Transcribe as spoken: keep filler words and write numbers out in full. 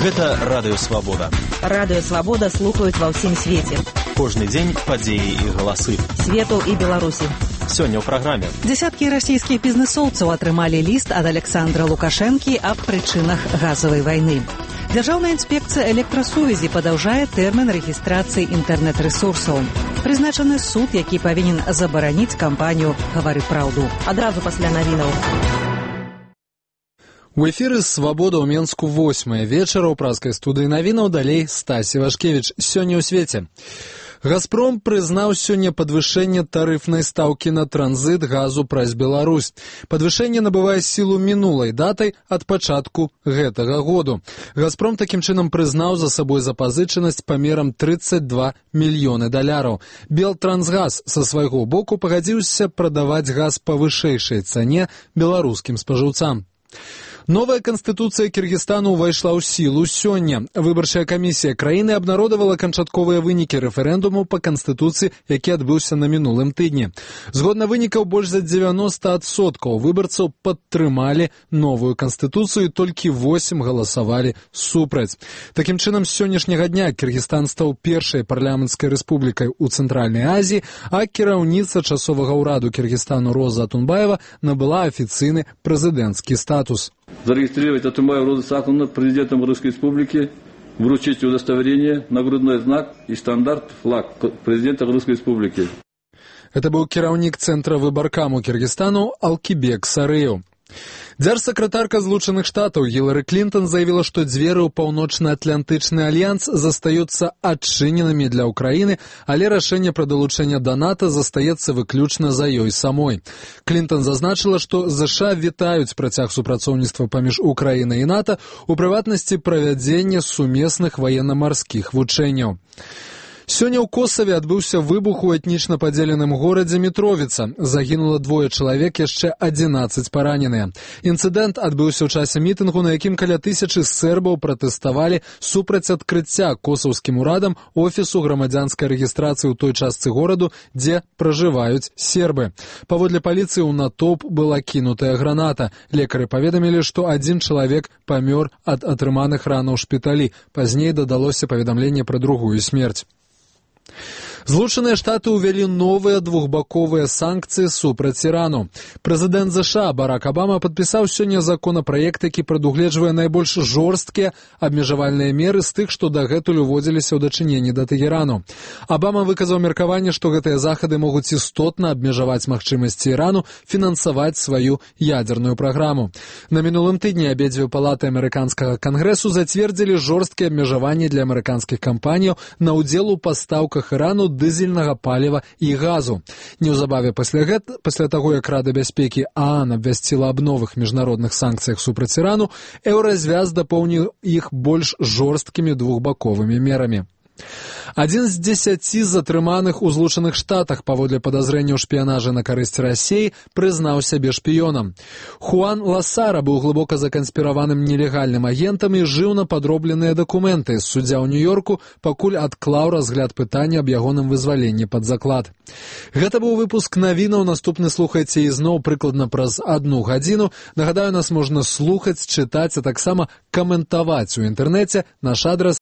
Гэта Радыё Свабода. Радыё Свабода слухаюць ва ўсім свеце. Кожны дзень падзеі і галасы свету і Беларусі. Сёння ў праграме. Дзясяткі расійскіх бізнэсоўцаў атрымалі ліст ад Александра Лукашэнкі аб прычынах газавай вайны. Дзяржаўная інспекцыя электрасувязі падаўжае тэрмін рэгістрацыі інтэрнэт-рэсурсаў. Прызначаны суд, які павінен забараніць кампанію «Гавары праўду». Адразу пасля навінаў. У эфіры «Свабода» ў Менску восьмая вечара ў празкай студыі навінаў, далей Стась Івашкевіч. Сёння ў свеце. «Газпром» прызнаў сёння падвышэнне тарыфнай стаўкі на транзіт газу праз Беларусь. Падвышэнне набывае сілу мінулай датай ад пачатку гэтага году. «Газпром» такім чынам прызнаў за сабой запазычанасць памерам тридцать два мільёны даляраў. «Белтрансгаз» са свайго боку пагадзіўся прадаваць газ па вышэйшай цане беларускім спажыўцам. Новая канстытуцыя Кіргізстану ўвайшла ў сілу сёння. Выбарчая камісія краіны абнародавала канчатковыя вынікі рэферэндуму па канстытуцыі, які адбыўся на мінулым тыдні. Згодна вынікаў, больш за дзевяноста адсоткаў выбарцаў падтрымалі новую канстытуцыю, толькі восем галасавалі супраць. Такім чынам, з сённяшняга дня Кіргізстан стаў першай парламенцкай рэспублікай у Цэнтральнай Азіі, а кіраўніца часовага ўраду Кіргізстану Роза Атунбаева набыла афіцыйны прэзідэнцкі статус. Зарегистрировать Атунбаеву Розу Саакановну президентом Русской Республики, вручить удостоверение, нагрудной знак и стандарт флаг президента Русской Республики. Это был кіраўнік центра выбаркаму Киргизстану Алкибек Сарыев. Дзяржсакратарка Злучаных Штатаў Гілары Клінтон заявила, што дзверы ў паўночна-атлантычны альянс застаюцца адчыненымі для Украіны, але рашэнне пра далучэнне да НАТО застаецца выключна за ёй самой. Клінтон зазначыла, што ЗША вітаюць працяг супрацоўніцтва паміж Украінай і НАТО, у прыватнасці правядзення сумесных ваенна-марскіх вучэнняў. Сёння ў Косаве адбыўся выбух у этнічна падзеленым горадзе Мітровіца. Загінула двое чалавек, яшчэ адзінаццаць параненыя. Інцыдэнт адбыўся ў часе мітынгу, на якім каля тысячы сербаў пратэставалі супраць адкрыцця косаўскім урадам офісу грамадзянскай рэгістрацыі ў той частцы гораду, дзе пражываюць сербы. Паводле паліцыі ў натоўп была кінутая граната. Лекары паведамілі, што адзін чалавек памёр ад атрыманых ранаў ў шпіталі. Пазней дадалося паведамленне пра другую смерць. Злучаныя Штаты ўвялі новыя двухбаковыя санкцыі супраць Ірану. Прэзідэнт ЗША Барак Абама падпісаў сёння законапраект, які прадугледжвае найбольш жорсткія абмежавальныя меры з тых, што дагэтуль уводзіліся ў дачыненні да Тэгерану. Абама выказаў меркаванне, што гэтыя захады могуць істотна абмежаваць магчымасці Ірану фінансаваць сваю ядзерную праграму. На мінулым тыдні абедзве палаты амерыканскага кангрэсу зацвердзілі жорсткія абмежаванні для амерыканскіх кампаніяў на ўдзел у пастаўках Ірану дызельнага паліва і газу. Неўзабаве пасля гэта, пасля таго, як Рада бяспекі ААН абвясціла аб новых міжнародных санкцыях супраць Ірану, Еўразвяз дапоўніў іх больш жорсткімі двухбаковымі мерамі. Адзін з дзесяці затрыманых у Злучаных Штатах паводле падазрэння ў шпіянажы на карысць Расіі прызнаў сябе шпіёнам. Хуан Ласара быў глыбока заканспіраваным нелегальным агентам і жыў на падробленыя дакументы. Суддзя ў Нью-Йорку пакуль адклаў разгляд пытання аб ягоным вызваленні пад заклад. Гэта быў выпуск навінаў. Наступны слухайце ізноў прыкладна праз адну гадзіну. Нагадаю, нас можна слухаць, чытаць, а таксама каментаваць у інтэрнэце. Наш адрас